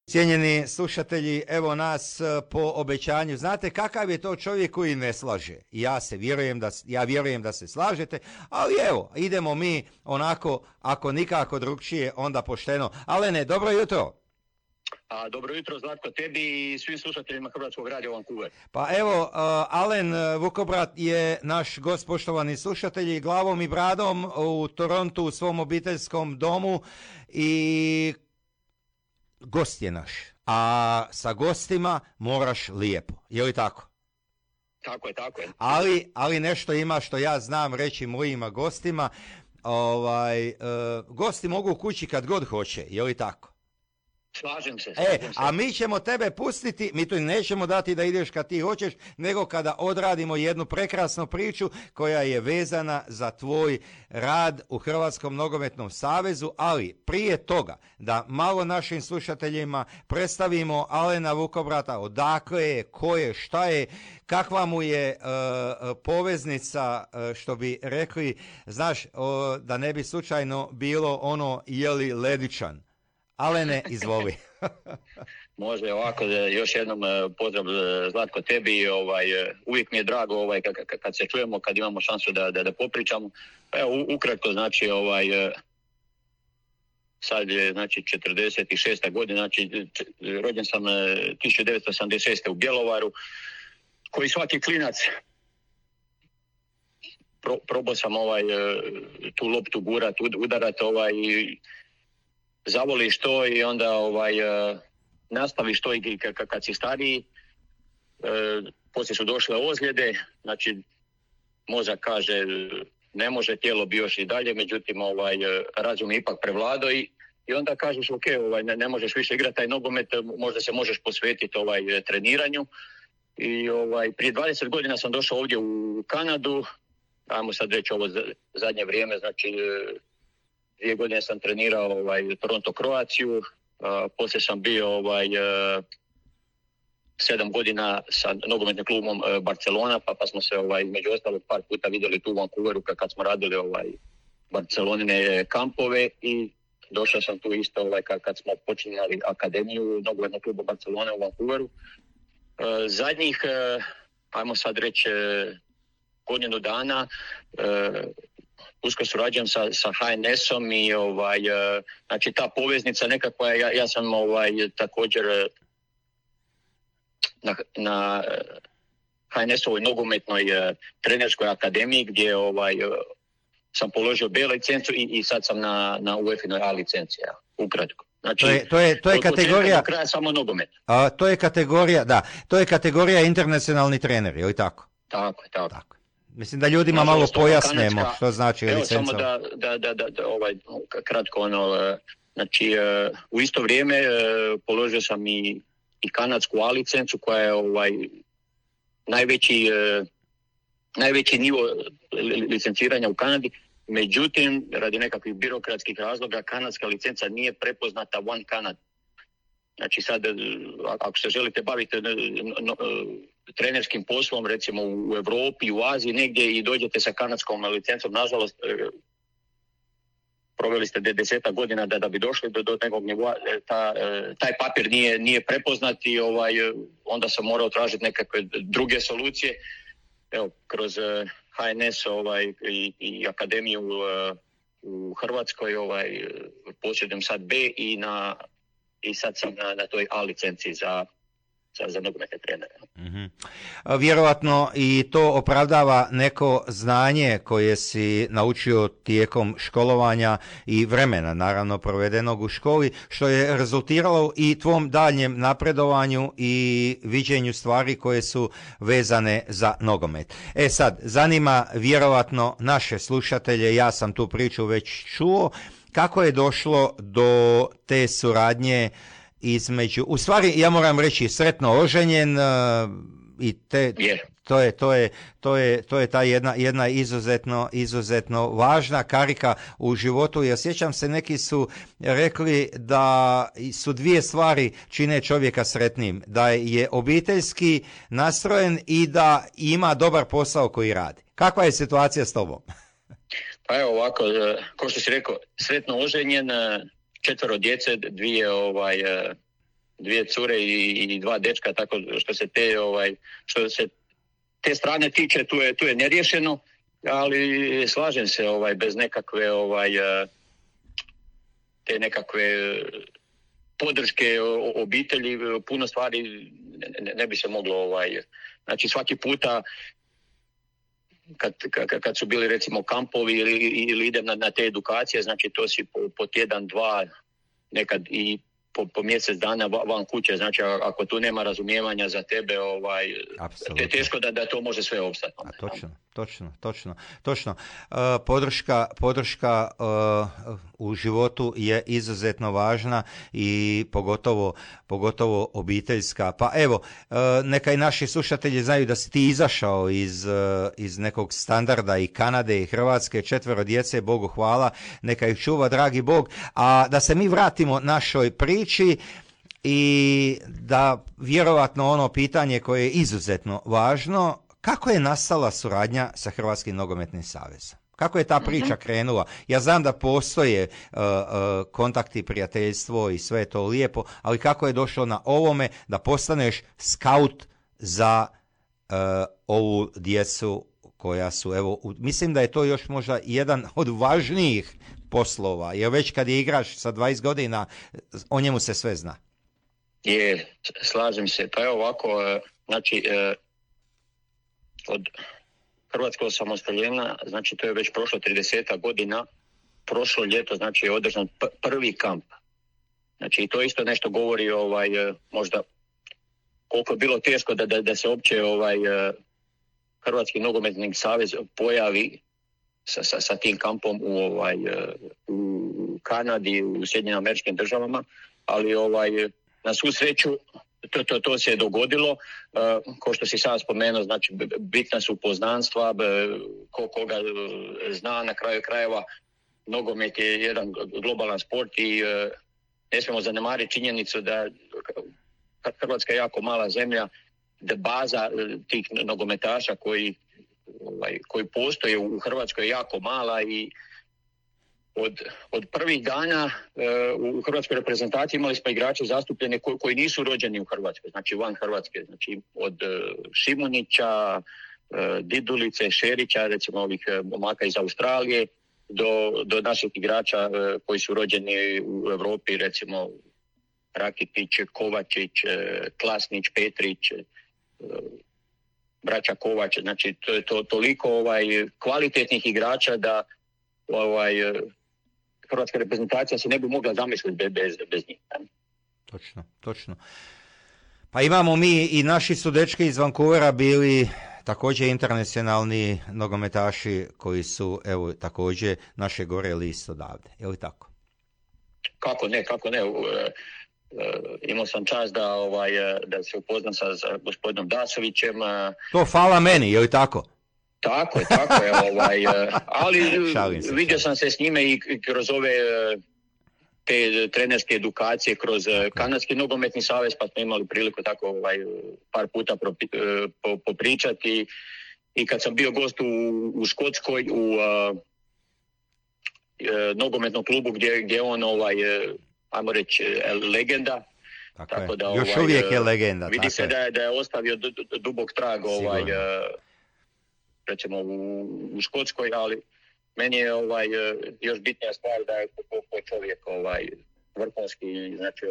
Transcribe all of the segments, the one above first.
Cijenjeni slušatelji, evo nas po obećanju. Znate kakav je to čovjek koji ne slaže? Ja vjerujem da se slažete, ali evo, idemo mi onako, ako nikako drugčije, onda pošteno. Alene, dobro jutro. Dobro jutro, Zlatko, tebi i svim slušateljima Hrvatskog radija Vancouver. Pa evo, Alen Vukobrat je naš gost, poštovani slušatelji, glavom i bradom u Torontu u svom obiteljskom domu i gost je naš. A sa gostima moraš lijepo, je li tako? Tako je. Ali nešto ima što ja znam reći mojima gostima. Gosti mogu kući kad god hoće, je li tako? Slažem se. A mi ćemo tebe pustiti, mi tu nećemo dati da ideš kad ti hoćeš, nego kada odradimo jednu prekrasnu priču koja je vezana za tvoj rad u Hrvatskom nogometnom savezu, ali prije toga da malo našim slušateljima predstavimo Alena Vukobrata, odakle je, ko je, šta je, kakva mu je poveznica, što bi rekli, znaš, da ne bi slučajno bilo ono jeli ledičan. Alene, izvoli. Može ovako, još jednom pozdrav Zlatko tebi, uvijek mi je drago kad se čujemo, kad imamo šansu da popričamo. Pa evo, ukratko, znači, sad je, znači, 46. godina, znači, rođen sam 1986. u Bjelovaru, koji svaki klinac probao sam tu loptu gurat, udarat, zavoliš to i onda nastaviš to i kad si stariji. Poslije su došle ozljede, znači mozak kaže ne može, tijelo bi još i dalje, međutim razum je ipak prevladao i onda kažeš ok, ne možeš više igrati taj nogomet, možda se možeš posvetiti treniranju. I prije 20 godina sam došao ovdje u Kanadu, ajmo sad reći ovo zadnje vrijeme, znači 2 godine sam trenirao Toronto Croaciju, poslije sam bio 7 godina sa nogometnim klubom Barcelona, pa smo se među ostalog par puta vidjeli tu u Vancouveru kad smo radili Barcelonine kampove i došao sam tu isto kad smo počinjali akademiju nogometnog kluba Barcelona u Vancouveru. Zadnjih, ajmo sad reći, godinu dana usko surađujem sa HNS-om i znači ta poveznica nekakva, ja sam također na HNS-ovoj nogometnoj trenerskoj akademiji gdje sam položio B licencu i sad sam na UEFA-inoj A licenci, ukratko. Znači, to je kategorija, do kraja samo nogomet. To je kategorija, da, to je kategorija internacionalni trener, je li tako? Tako je. Mislim da ljudima malo pojasnemo što znači licenca. Evo samo da kratko znači u isto vrijeme položio sam i kanadsku A licencu koja je najveći nivo licenciranja u Kanadi. Međutim, radi nekakvih birokratskih razloga, kanadska licenca nije prepoznata One Canada. Znači sad, ako se želite baviti trenerskim poslom, recimo u Europi, u Aziji, negdje i dođete sa kanadskom licencom, nažalost, proveli ste 10 godina da bi došli do nekog nivoa, taj papir nije prepoznat i onda sam morao tražiti nekakve druge solucije. Evo, kroz HNS i akademiju u Hrvatskoj posjedujem sad B i sad sam na toj A licenciji za nogometne trenere. Mm-hmm. Vjerovatno i to opravdava neko znanje koje si naučio tijekom školovanja i vremena, naravno, provedenog u školi, što je rezultiralo i tvom daljem napredovanju i viđenju stvari koje su vezane za nogomet. Sad, zanima vjerovatno naše slušatelje, ja sam tu priču već čuo, kako je došlo do te suradnje između, u stvari ja moram reći sretno oženjen i to je ta jedna izuzetno važna karika u životu. Ja sjećam se, neki su rekli da su 2 stvari čine čovjeka sretnim, da je obiteljski nastrojen i da ima dobar posao koji radi. Kakva je situacija s tobom? Pa evo ovako, kao što si rekao, sretno oženjen, 4 djece, 2 2 cure i 2 dečka, tako što se te strane tiče, tu je neriješeno, ali slažem se, bez nekakve te nekakve podrške obitelji puno stvari ne bi se moglo znači svaki puta kad su bili recimo kampovi ili idem na te edukacije, znači to si po tjedan, 2, nekad i po mjesec dana van kuće, znači ako tu nema razumijevanja za tebe, je teško da to može sve opstati. Točno. Podrška u životu je izuzetno važna i pogotovo obiteljska. Pa evo, neka i naši slušatelji znaju da si ti izašao iz nekog standarda i Kanade i Hrvatske, 4 djece, Bogu hvala, neka ih čuva dragi Bog, a da se mi vratimo našoj priči i da vjerovatno ono pitanje koje je izuzetno važno, kako je nastala suradnja sa Hrvatskim nogometnim savezom? Kako je ta priča krenula? Ja znam da postoje kontakti, prijateljstvo i sve je to lijepo, ali kako je došlo na ovome da postaneš skaut za ovu djecu koja su, evo, mislim da je to još možda jedan od važnijih poslova, jer već kad je igraš sa 20 godina, o njemu se sve zna. Slažem se. Pa evo ovako, znači, od hrvatskog osamostaljenja, znači to je već prošlo 30 godina, prošlo ljeto, znači je održan prvi kamp. Znači i to isto nešto govori možda koliko je bilo teško da se uopće Hrvatski nogometni savez pojavi sa tim kampom u Kanadi, u Sjedinjenim Američkim Državama, ali na svu sreću to se je dogodilo. Kao što si sad spomenuo, znači bitna su poznanstva, koga zna, na kraju krajeva nogomet je jedan globalan sport i ne smijemo zanemariti činjenicu da Hrvatska je jako mala zemlja, da baza tih nogometaša koji postoje u Hrvatskoj je jako mala i od prvih dana u hrvatskoj reprezentaciji imali smo igrače zastupljene koji nisu rođeni u Hrvatskoj, znači van Hrvatske, znači od Šimunića, Didulice, Šerića, recimo ovih momaka iz Australije, do naših igrača koji su rođeni u Europi, recimo Rakitić, Kovačić, Klasnić, Petrić, braća Kovač, znači to je toliko kvalitetnih igrača da hrvatska reprezentacija se ne bi mogla zamisliti bez njih. Točno. Pa imamo mi i naši su dečki iz Vancouvera bili također internacionalni nogometaši koji su, evo, također naše gore list odavde. Je li tako? Kako ne. Imao sam čast da se upoznam sa gospodinom Dasovićem. To hvala meni, je li tako? Tako je. Ali vidio sam se s njime i kroz ove te trenerske edukacije, kroz Kanadski nogometni savez, pa smo imali priliku tako par puta popričati. I kad sam bio gost u Škotskoj, u nogometnom klubu gdje on ajmo reći, legenda. Tako da, još uvijek je legenda. Vidi se da je ostavio dubok trag recimo u Škotskoj, ali meni je još bitnija stvar da je po čovjek vrhunski, znači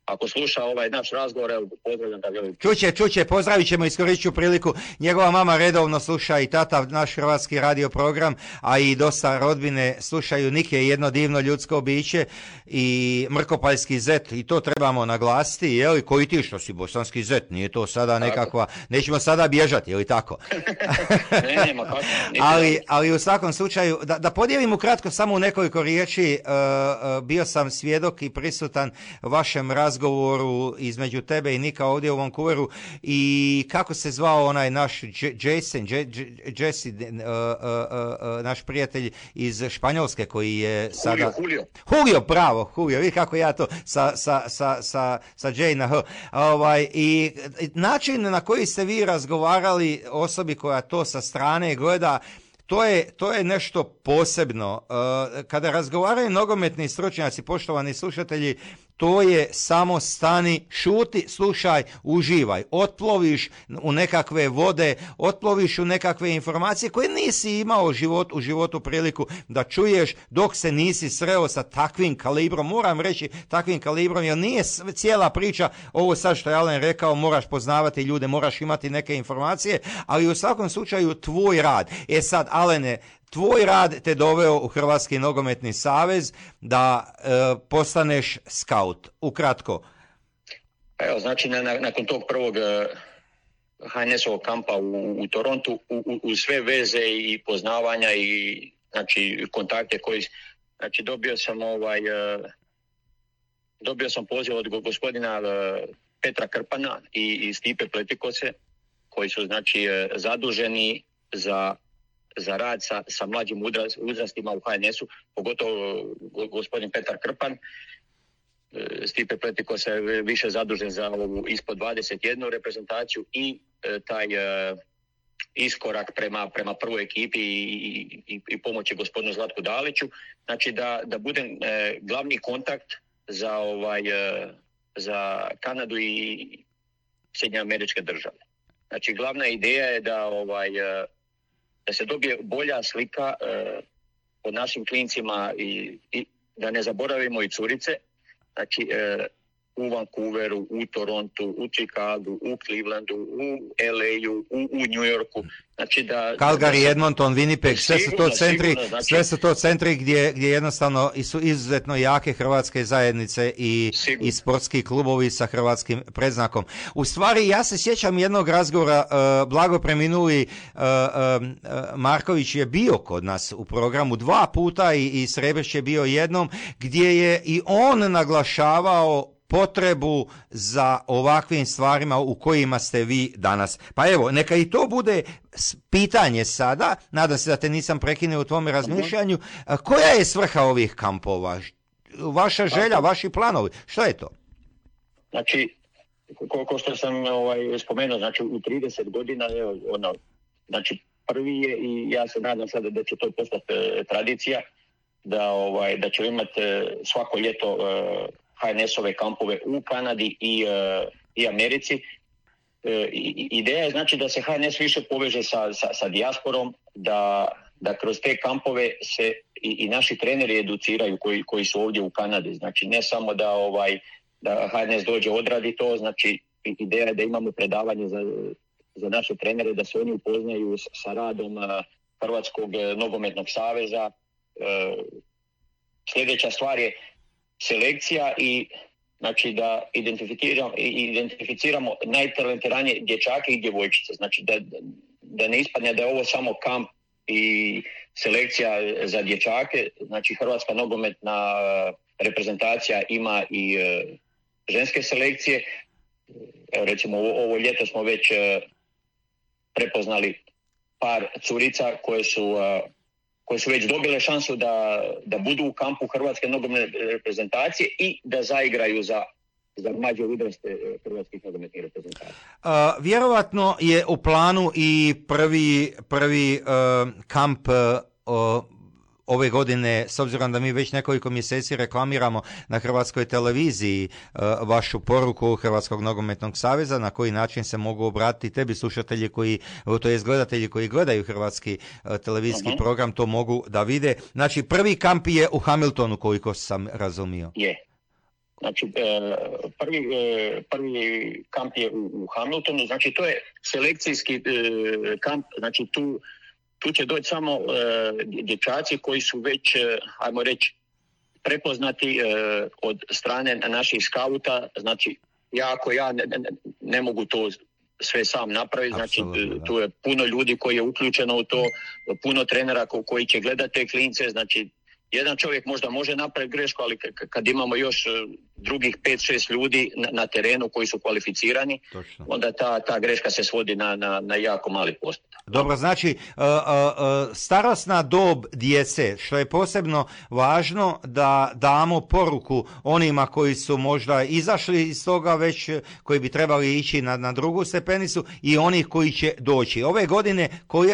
ako sluša naš razgovor, pozdravljam da vjerujem. Čuće, pozdravit ćemo, iskoristit ću priliku. Njegova mama redovno sluša i tata naš hrvatski radio program, a i dosta rodbine slušaju. Nike je jedno divno ljudsko biće i mrkopaljski zet, i to trebamo naglasiti, jeli, koji ti što si bosanski zet, nije to sada nekakva, nećemo sada bježati, jeli tako? Nema kako. Ali u svakom slučaju, da podijelim ukratko samo u nekoliko riječi, bio sam svjedok i prisutan vašem razgovoru između tebe i Nika ovdje u Vancouveru, i kako se zvao onaj naš Jesse, naš prijatelj iz Španjolske koji je sada... Julio, bravo, Julio, vidi kako ja to sa J na H. I način na koji ste vi razgovarali osobi koja to sa strane gleda, to je nešto posebno. Kada razgovaraju nogometni stručnjaci, poštovani slušatelji, to je samo stani, šuti, slušaj, uživaj. Otploviš u nekakve vode, otploviš u nekakve informacije koje nisi imao u životu priliku da čuješ dok se nisi sreo sa takvim kalibrom. Moram reći takvim kalibrom, jer nije cijela priča ovo sad što je Alen rekao, moraš poznavati ljude, moraš imati neke informacije, ali u svakom slučaju tvoj rad. Sad, Alene, tvoj rad te doveo u Hrvatski nogometni savez da postaneš skaut. Ukratko. Evo, znači, nakon tog prvog HNS-ovog kampa u Torontu, u sve veze i poznavanja i znači kontakte koji, znači dobio sam poziv od gospodina Petra Krpana i Stipe Pletikose, koji su znači zaduženi za rad sa mlađim uzrastima u HNS-u, pogotovo gospodin Petar Krpan. Stipe Pletikos je više zadužen za ovu ispod 21 reprezentaciju i taj iskorak prema prvoj ekipi i pomoći gospodinu Zlatku Daliću. Znači da budem glavni kontakt za Kanadu i Sjedinjene Američke Države. Znači glavna ideja je da se dobije bolja slika o našim klincima i da ne zaboravimo i curice. Znači u Vancouveru, u Torontu, u Chicagu, u Clevelandu, u LA-u, u New Yorku. Znači Calgary, Edmonton, Winnipeg, sve su to centri gdje jednostavno su izuzetno jake hrvatske zajednice i sportski klubovi sa hrvatskim predznakom. U stvari, ja se sjećam jednog razgovora, blago preminuli Marković je bio kod nas u programu 2 puta i Srebreš je bio jednom, gdje je i on naglašavao potrebu za ovakvim stvarima u kojima ste vi danas. Pa evo, neka i to bude pitanje sada, nadam se da te nisam prekinuo u tvome razmišljanju, koja je svrha ovih kampova? Vaša želja, vaši planovi, što je to? Znači, ko što sam spomenuo, znači u 30 godina, znači prvi je i ja se nadam sada da će to postati tradicija, da ćemo imati svako ljeto HNS-ove kampove u Kanadi i Americi. Ideja je znači da se HNS više poveže sa dijasporom, da kroz te kampove se i naši treneri educiraju koji su ovdje u Kanadi. Znači ne samo da HNS dođe odradi to, znači ideja je da imamo predavanje za naše trenere, da se oni upoznaju sa radom Hrvatskog nogometnog saveza. Sljedeća stvar je selekcija i znači da identificiramo najtalentiranije dječake i djevojčice. Znači da ne ispadne da je ovo samo kamp i selekcija za dječake. Znači Hrvatska nogometna reprezentacija ima i ženske selekcije. Evo recimo ovo ljeto smo već prepoznali par curica koje su već dobile šansu da budu u kampu Hrvatske nogometne reprezentacije i da zaigraju za mlađe uzraste hrvatskih nogometnih reprezentacija. Vjerovatno je u planu i prvi kamp ove godine, s obzirom da mi već nekoliko mjeseci reklamiramo na Hrvatskoj televiziji vašu poruku Hrvatskog nogometnog saveza, na koji način se mogu obratiti tebi slušatelji to jest gledatelji koji gledaju hrvatski televizijski program, to mogu da vide. Znači, prvi kamp je u Hamiltonu, koliko sam razumio. Je. Znači, prvi kamp je u Hamiltonu, znači to je selekcijski kamp, znači tu će doći samo dječaci koji su već, ajmo reći, prepoznati od strane naših skauta. Znači, ja ne mogu to sve sam napraviti. Znači, tu je puno ljudi koji je uključeno u to, puno trenera koji će gledati te klince. Znači, jedan čovjek možda može napraviti grešku, ali kad imamo još drugih 5-6 ljudi na terenu koji su kvalificirani, točno, onda ta greška se svodi na jako mali postotak. Dobro, znači starosna dob djece, što je posebno važno da damo poruku onima koji su možda izašli iz toga već, koji bi trebali ići na drugu stepenicu i onih koji će doći. Ove godine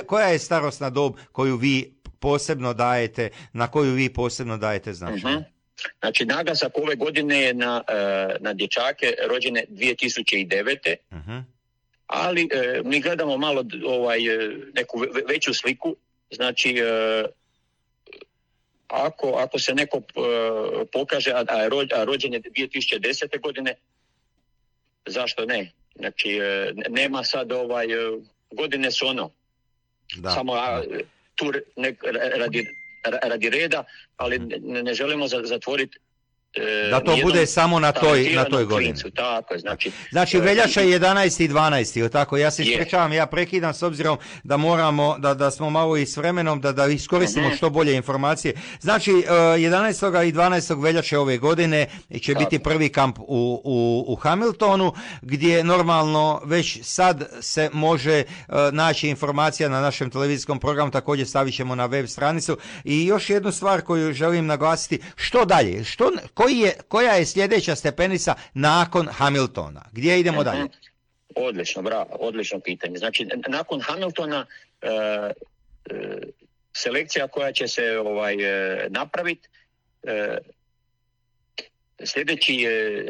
koja je starosna dob koju vi posebno dajete, na koju vi posebno dajete značaj? Znači, naglasak ove godine je na dječake rođene 2009. Uh-huh. Ali mi gledamo malo neku veću sliku. Znači, ako se neko pokaže, a rođen je 2010. godine, zašto ne? Znači, nema sad godine su samo tu radi reda, ali ne želimo zatvoriti da to bude samo na toj godini. Tako, znači veljača je 11. i 12. Tako, ja se ispričavam, ja prekidam s obzirom da moramo, da smo malo i s vremenom, da iskoristimo što bolje informacije. Znači, 11. i 12. veljače ove godine će biti prvi kamp u Hamiltonu, gdje normalno već sad se može naći informacija na našem televizijskom programu, također stavit ćemo na web stranicu. I još jednu stvar koju želim naglasiti, što dalje? Koja je sljedeća stepenica nakon Hamiltona? Gdje idemo dalje? Odlično, bravo, odlično pitanje. Znači, nakon Hamiltona selekcija koja će se napraviti,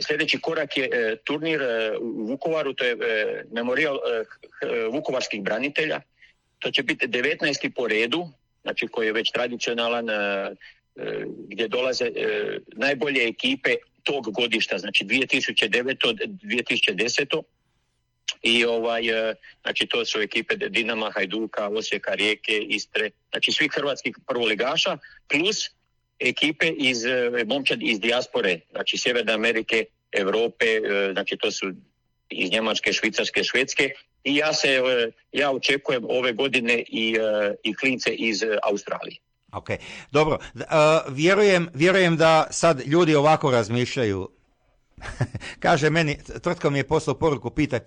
sljedeći korak je turnir u Vukovaru, to je memorijal vukovarskih branitelja. To će biti 19. po redu, znači koji je već tradicionalan, gdje dolaze najbolje ekipe tog godišta, znači 2009. 2010. I znači to su ekipe Dinama, Hajduka, Osijeka, Rijeke, Istre, znači svih hrvatskih prvoligaša, plus ekipe momčadi iz dijaspore, znači Sjeverne Amerike, Europe, znači to su iz Njemačke, Švicarske, Švedske, i ja očekujem ove godine i klince iz Australije. Ok, dobro. Vjerujem da sad ljudi ovako razmišljaju. Kaže meni, tvrtko mi je poslao poruku, pitaj.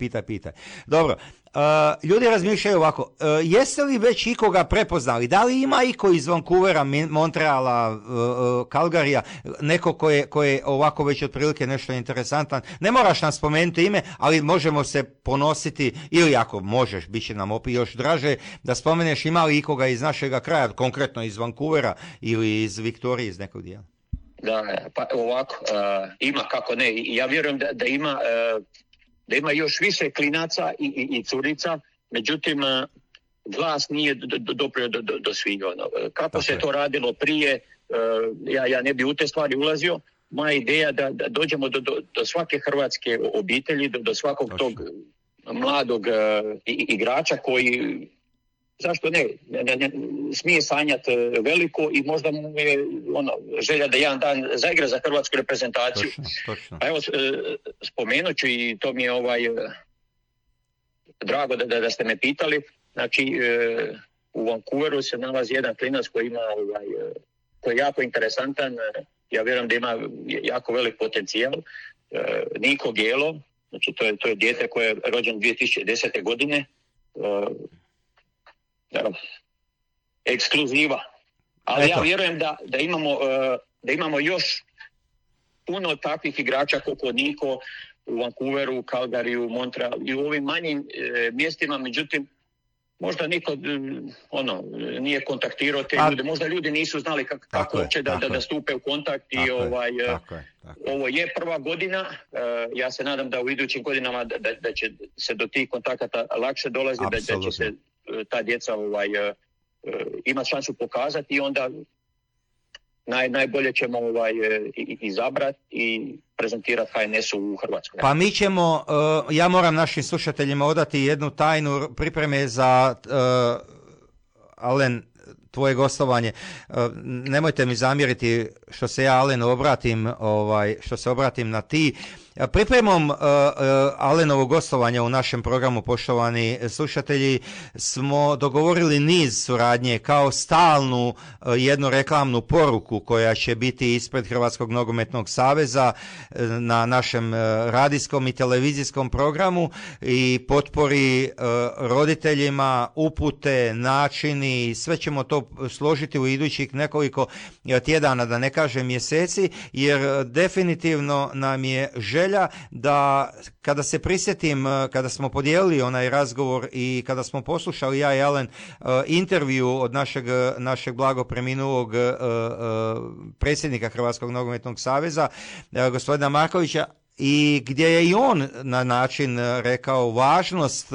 Dobro, ljudi razmišljaju ovako, jeste li već ikoga prepoznali? Da li ima iko iz Vancouvera, Montreala, Calgaryja, neko ko je ovako već otprilike nešto interesantan? Ne moraš nam spomenuti ime, ali možemo se ponositi, ili ako možeš, bit će nam opet još draže, da spomeneš ima li ikoga iz našega kraja, konkretno iz Vancouvera ili iz Viktorije, iz nekog dijela. Da, pa ovako, ima, kako ne, ja vjerujem da ima još više klinaca i curica, međutim glas nije doprio do svih. Kako se to radilo prije, ja ne bi u te stvari ulazio. Moja ideja da dođemo do svake hrvatske obitelji, do svakog tog mladog igrača koji, zašto ne smije sanjati veliko i možda mu je želja da jedan dan zaigra za hrvatsku reprezentaciju. Točno. A evo, spomenut ću, i to mi je drago da ste me pitali. Znači, u Vancouveru se nalazi jedan klinac koji je jako interesantan. Ja vjerujem da ima jako velik potencijal. Niko Gelo, znači to je dijete koje je rođen 2010. godine. Ekskluziva. Ali ja vjerujem da imamo još puno takvih igrača koliko Niko u Vancouveru, Calgaryju, Montrealu i u ovim manjim mjestima, međutim možda niko nije kontaktirao te ljude, možda ljudi nisu znali kako uopće da stupe u kontakt i ovo je prva godina. Ja se nadam da u idućim godinama da će se do tih kontakata lakše dolaziti, da će se ta djeca ima šansu pokazati i onda najbolje ćemo izabrati i prezentirati HNS-u u Hrvatskoj. Pa mi ćemo, ja moram našim slušateljima odati jednu tajnu pripreme za Alen, tvoje gostovanje. Nemojte mi zamjeriti što se ja Alenu obratim na ti. Pripremom Alenovog gostovanja u našem programu, poštovani slušatelji, smo dogovorili niz suradnje kao stalnu jednu reklamnu poruku koja će biti ispred Hrvatskog nogometnog saveza na našem radijskom i televizijskom programu i potpori roditeljima, upute, načini, sve ćemo to složiti u idućih nekoliko tjedana, da ne kažem mjeseci, jer definitivno nam je želja želja da kada se prisjetim, kada smo podijelili onaj razgovor i kada smo poslušali ja i Alen intervju od našeg blago preminulog predsjednika Hrvatskog nogometnog saveza, gospodina Markovića, i gdje je i on na način rekao važnost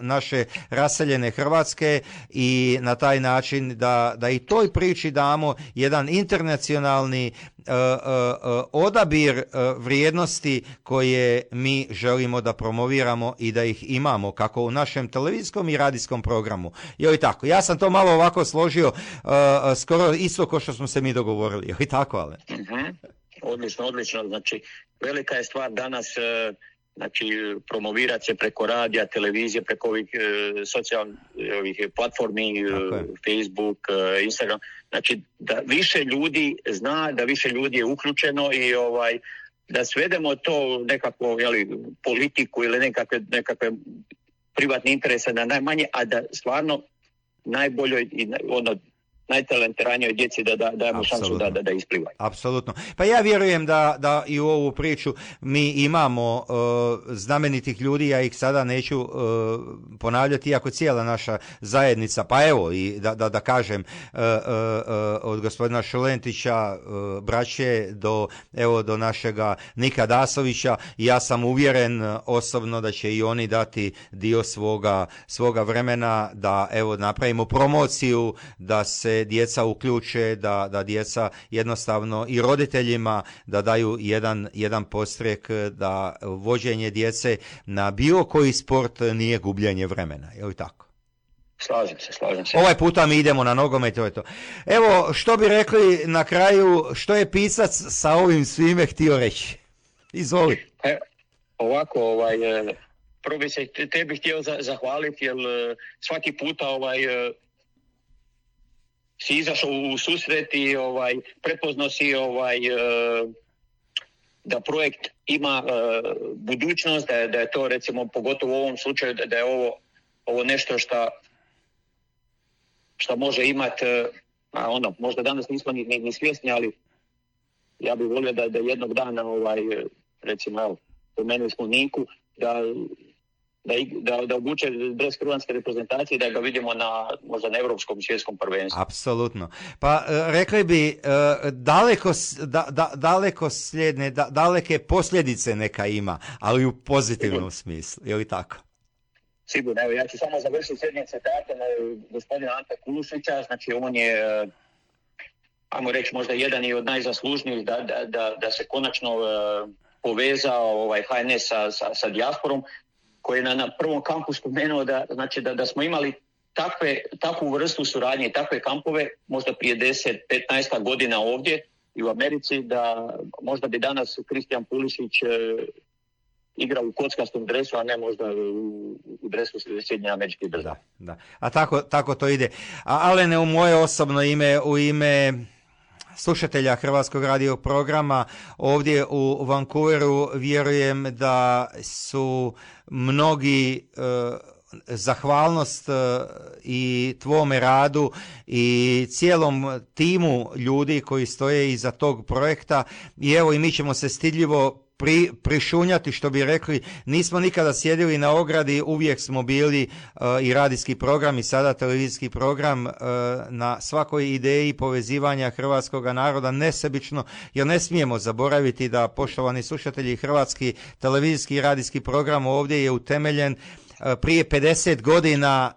naše raseljene Hrvatske i na taj način da i toj priči damo jedan internacionalni odabir vrijednosti koje mi želimo da promoviramo i da ih imamo kako u našem televizijskom i radijskom programu. Je li tako? Ja sam to malo ovako složio, skoro isto kao što smo se mi dogovorili. Je li tako, Ale? Odlično. Znači, velika je stvar danas promovirati se preko radija, televizije, preko ovih socijalnih platformi, Facebook, Instagram. Znači, da više ljudi zna, da više ljudi je uključeno i da svedemo to nekako, politiku ili nekakve privatne interese na najmanje, a da stvarno najboljoj i najtalentiranijoj djeci da dajemo šansu da isplivaju. Apsolutno. Pa ja vjerujem da i u ovu priču mi imamo znamenitih ljudi, ja ih sada neću ponavljati, iako cijela naša zajednica, pa evo i da kažem od gospodina Šulentića, braće, do našega Nika Dasovića, ja sam uvjeren osobno da će i oni dati dio svoga vremena da napravimo promociju, da se djeca uključe, da djeca jednostavno i roditeljima da daju jedan podstrek, da vođenje djece na bilo koji sport nije gubljenje vremena. Je li tako? Slažem se. Ovaj puta mi idemo na nogomet, to je to. Evo, što bi rekli na kraju, što je pisac sa ovim svime htio reći? Izvoli. Ovako, prvo bi se tebi htio zahvaliti, jer svaki puta si izašao u susret i prepoznao si da projekt ima budućnost, da je to, recimo, pogotovo u ovom slučaju, da je ovo nešto što može imati, možda danas nismo ni svjesni, ali ja bih volio da jednog dana, recimo, spomenuli smo Niku, da obuče dres hrvatske reprezentacije, da ga vidimo možda na europskom i svjetskom prvenstvu. Apsolutno. Pa rekli bi daleke posljedice neka ima, ali u pozitivnom smislu. Je li tako? Sigurno. Evo, ja ću samo završiti s jednim citatom gospodina Ante Kulušića. Znači, on je, ajmo reći, možda jedan i od najzaslužnijih da se konačno povezao HNS sa dijasporom, koji je na prvom kampu spomenuo da smo imali takvu vrstu suradnje i takve kampove možda prije 10-15 godina ovdje i u Americi, da možda bi danas Kristijan Pulisić igrao u kockastom dresu, a ne možda u dresu Sjedinjenih Američkih Država. Da. A tako to ide. A Alene, u moje osobno ime, u ime slušatelja Hrvatskog radio programa ovdje u Vancouveru, vjerujem da su mnogi zahvalnost i tvome radu i cijelom timu ljudi koji stoje iza tog projekta, i evo i mi ćemo se stidljivo prišunjati, što bi rekli, nismo nikada sjedili na ogradi, uvijek smo bili i radijski program i sada televizijski program na svakoj ideji povezivanja hrvatskog naroda nesebično, jer ne smijemo zaboraviti da, poštovani slušatelji, hrvatski televizijski i radijski program ovdje je utemeljen prije 50 godina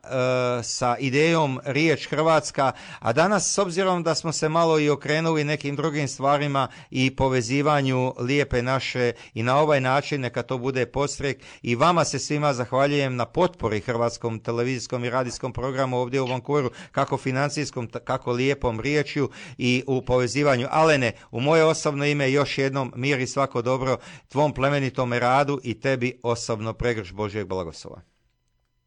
sa idejom Riječ Hrvatska, a danas, s obzirom da smo se malo i okrenuli nekim drugim stvarima i povezivanju lijepe naše, i na ovaj način neka to bude podstrek, i vama se svima zahvaljujem na potpori hrvatskom televizijskom i radijskom programu ovdje u Vancouveru, kako financijskom, kako lijepom riječju i u povezivanju. Alene, u moje osobno ime još jednom mir i svako dobro tvom plemenitome radu i tebi osobno pregrš Božjeg blagoslova.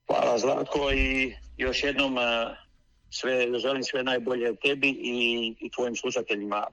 Hvala, Zlatko, i još jednom želim sve najbolje tebi i tvojim slušateljima